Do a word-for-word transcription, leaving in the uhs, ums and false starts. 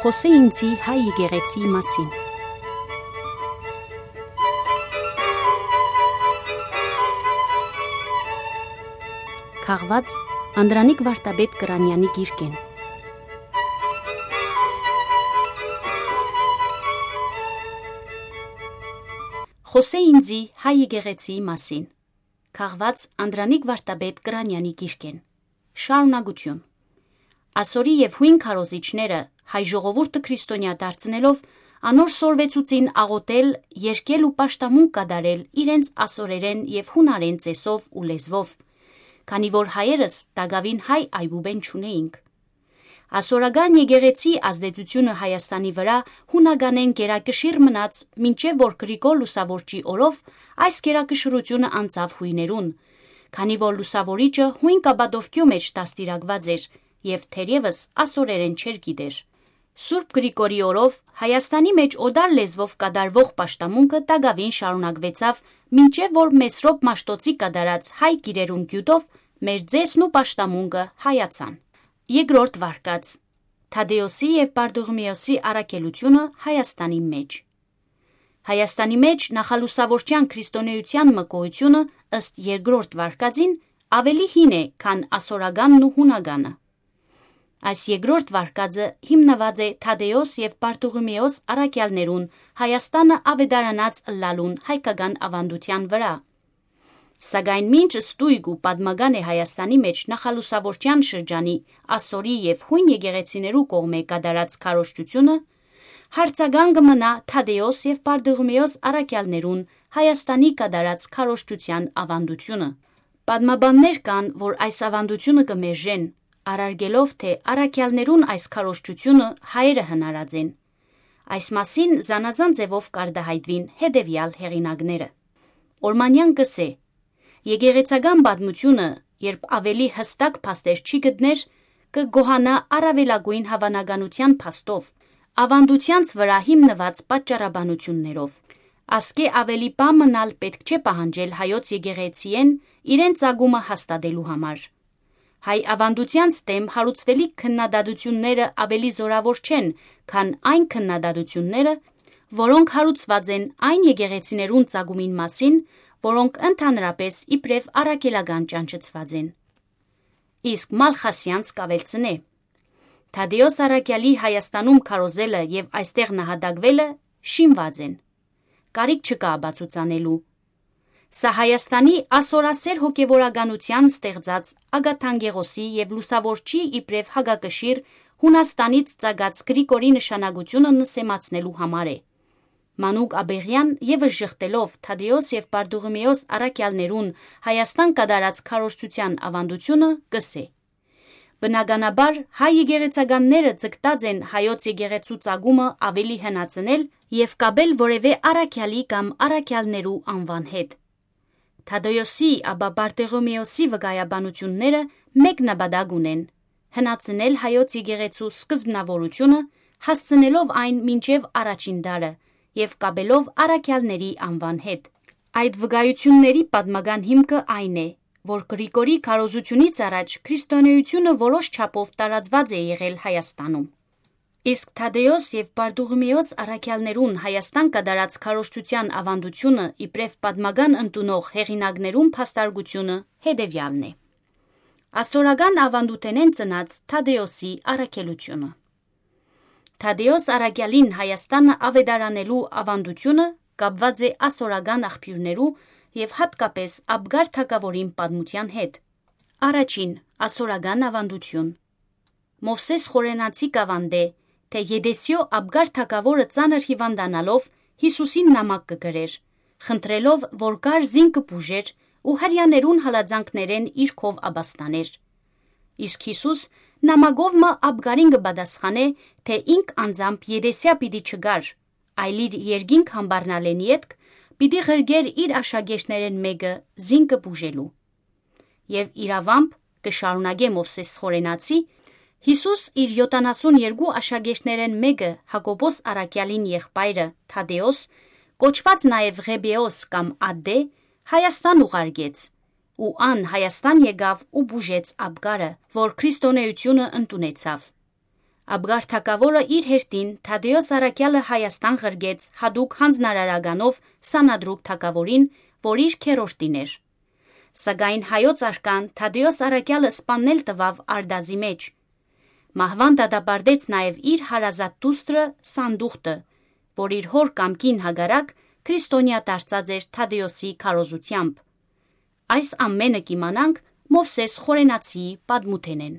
Խօսէ ինծի հայ եկեղեցիի մասին։ Քաղուած Անդրանիկ Վարդապետ Կրանեանի գիրքէն։ Խօսէ ինծի հայ եկեղեցիի մասին։ Քաղուած Անդրանիկ Վարդապետ Կրանեանի գիրքէն։ Շարունակութիւն։ Ասորի եւ յոյն քարոզիչները հայ ժողովուրդը քրիստոնեայ դարձնելով, անոր սորվեցուցին աղօթել, երգել ու պաշտամունք կատարել իրենց ասորերէն եւ յունարէն ծէսով ու լեզուով, քանի որ հայերս տակաւին հայ այբուբեն չունէինք։ Ասորական եկեղեցի ազդեցութիւնը Հայաստանի վրայ յունականէն գերակշիռ մնաց, մինչեւ որ Գրիգոր Լուսաւորչի օրով այս գերակշռութիւնը անցաւ յոյներուն, քանի որ Լուսաւորիչը յոյն կապադովկիոյ մէջ դաստիարակուած էր եւ թերեւս ասորերէն չէր գիտեր։ Սուրբ Գրիգորի օրով Հայաստանի մէջ օտար լեզուով կատարուող պաշտամունքը տակաւին շարունակուեցաւ, մինչեւ որ Մեսրոպ Մաշտոցի կատարած հայ կիրերուն գիւտով մեր ծէսն ու պաշտամունքը հայացան։ Երկրորդ վարկած։ Թադէոսի եւ Պարտուղիմէոսի առաքելութիւնը Հայաստանի մէջ։ Հայաստանի մէջ նախալուսաւորչեան քրիստոնէութեան մը գոյութիւնը, ըստ երկրորդ վարկածին, աւելի հին է, քան ասորականն ու յունականը։ Այս երկրորդ վարկածը հիմնուած է Թադէոս եւ Պարտուղիմէոս առաքեալներուն Հայաստանը աւետարանած ըլլալուն հայկական աւանդութեան վրայ։ Սակայն մինչ ստոյգ ու պատմական է Հայաստանի մէջ նախալուսաւորչեան շրջանի ասորի եւ յոյն եկեղեցիներու կողմէ կատարած քարոզչութիւնը, հարցական կը մնայ Թադէոս եւ Պարտուղիմէոս առաքեալներուն Հայաստանի կատարած քարոզչութեան աւանդութիւնը։ Պատմաբաններ կան, որ այս աւանդութիւնը կը մերժեն, առարկելով, թէ առաքեալներուն այս քարոզչութիւնը հայերը հնարած են։ Այս մասին զանազան ձեւով կարտահայտուին հետեւեալ հեղինակները։ Օրմանեան կ'ըսէ. «Եկեղեցական պատմութիւնը, երբ աւելի յստակ փաստեր չի գտներ, կը գոհանայ առաւելագոյն հաւանականութեան փաստով, աւանդութեանց վրայ հիմնուած պատճառաբանութիւններով։ Ասկէ աւելի բան մըն ալ պէտք չէ պահանջել հայոց եկեղեցիէն իրեն ծագումը հաստատելու համար։ Հայ աւանդութեանց դէմ հարուցուելիք քննադատութիւնները աւելի զօրաւոր չեն, քան այն քննադատութիւնները, որոնք հարուցուած են այն եկեղեցիներուն ծագումին մասին, որոնք ընդհանրապէս իբրեւ առաքելական ճանչցուած են»։ Իսկ Մալխասեանց կ'աւելցնէ. «Թադէոս առաքեալի Հայաստանում քարոզելը եւ այստեղ նահատակուելը շինուած են։ Կարիք չկայ ապացուցանելու։ Սա Հայաստանի ասորասէր հոգեվորականութեան ստեղծած Ագաթան Գեղոսի եւ Լուսաւորչի իբրեւ հակակշիռ Յունաստանից ծագած Գրիգորի նշանակութիւնը նսեմացնելու համար է»։ Մանուկ Աբեղեան եւս ժխտելով Թադէոս եւ Պարտուղիմէոս առաքեալներուն Հայաստան կատարած քարոզչութեան աւանդութիւնը կ'ըսէ. «Բնականաբար, հայ եկեղեցականները ձգտած են հայոց եկեղեցու ծագումը աւելի հնացնել եւ կապել որեւէ առաքեալի կամ առաքեալներու անուան հետ։ Թադէոսի, ապա Պարտուղիմէոսի վկայաբանութիւնները մէկ նպատակ ունեն՝ հնացնել հայոց եկեղեցու սկզբնաւորութիւնը, հասցնելով այն մինչեւ առաջին դարը եւ կապելով առաքեալների անուան հետ։ Այդ վկայութիւնների պատմական հիմքը այն է, որ Գրիգորի քարոզութիւնից առաջ քրիստոնէութիւնը որոշ չափով տարածուած է եղել Հայաստանում։ Իսկ Թադէոս եւ Պարտուղիմէոս առաքեալներուն Հայաստան կատարած քարոզչութեան աւանդութիւնը իբրեւ պատմական ընդունող հեղինակներուն փաստարկութիւնը հետեւեալն է. Ասորական աւանդութենէն ծնած Թադէոսի առաքելութիւնը։ Թադէոս առաքեալին Հայաստանը աւետարանելու աւանդութիւնը կապուած է ասորական աղբիւրներու եւ յատկապէս Աբգար թագաւորին պատմութեան հետ։ Առաջին, ասորական աւանդութիւն։ Մովսէս Խորենացի կ'աւանդէ, թէ Յետեսիոյ Աբգար թագաւորը ծանր հիւանդանալով Յիսուսին նամակ կը գրէր, խնդրելով, որ կար զինքը բուժէր ու Հրեաներուն հալածանքներէն իր քով ապաստանէր։ Իսկ Յիսուս նամակով մը Աբգարին կը պատասխանէ, թէ ինք անձամբ Յետեսիա պիտի չգար, այլ իր երկինք համբարնալէն ետք պիտի ղրկէր իր աշակերտներէն մէկը զինքը բուժելու։ Եւ իրաւամբ, կը շարունակէ Մովսէս Խորենացի, Յիսուս իր յոթանասուն երկու աշակերտներէն մէկը՝ Յակոբոս առաքեալին եղբայրը Թադէոս, կոչուած նաեւ Ղեբէոս կամ Ադդէ, Հայաստան ուղարկեց, ու ան Հայաստան եկաւ ու բուժեց Աբգարը, որ քրիստոնէութիւնը ընդունեցաւ։ Աբգար թագաւորը իր հերթին Թադէոս Առաքեալը Հայաստան ղրկեց յատուկ յանձնարարականով Սանատրուկ թագաւորին, որ իր քերորդին էր։ Սակայն հայոց արքան Թադէոս Առաքեալը սպաննել տուաւ Արտազի մէջ։ Մահուան դատապարտեց նաեւ իր հարազատ դուստրը Սանդուղտը, որ իր հօր կամքին հակառակ քրիստոնեայ դարձած էր Թադէոսի քարոզութեամբ։ Այս ամէնը կ'իմանանք Մովսէս Խորենացիի պատմութենէն։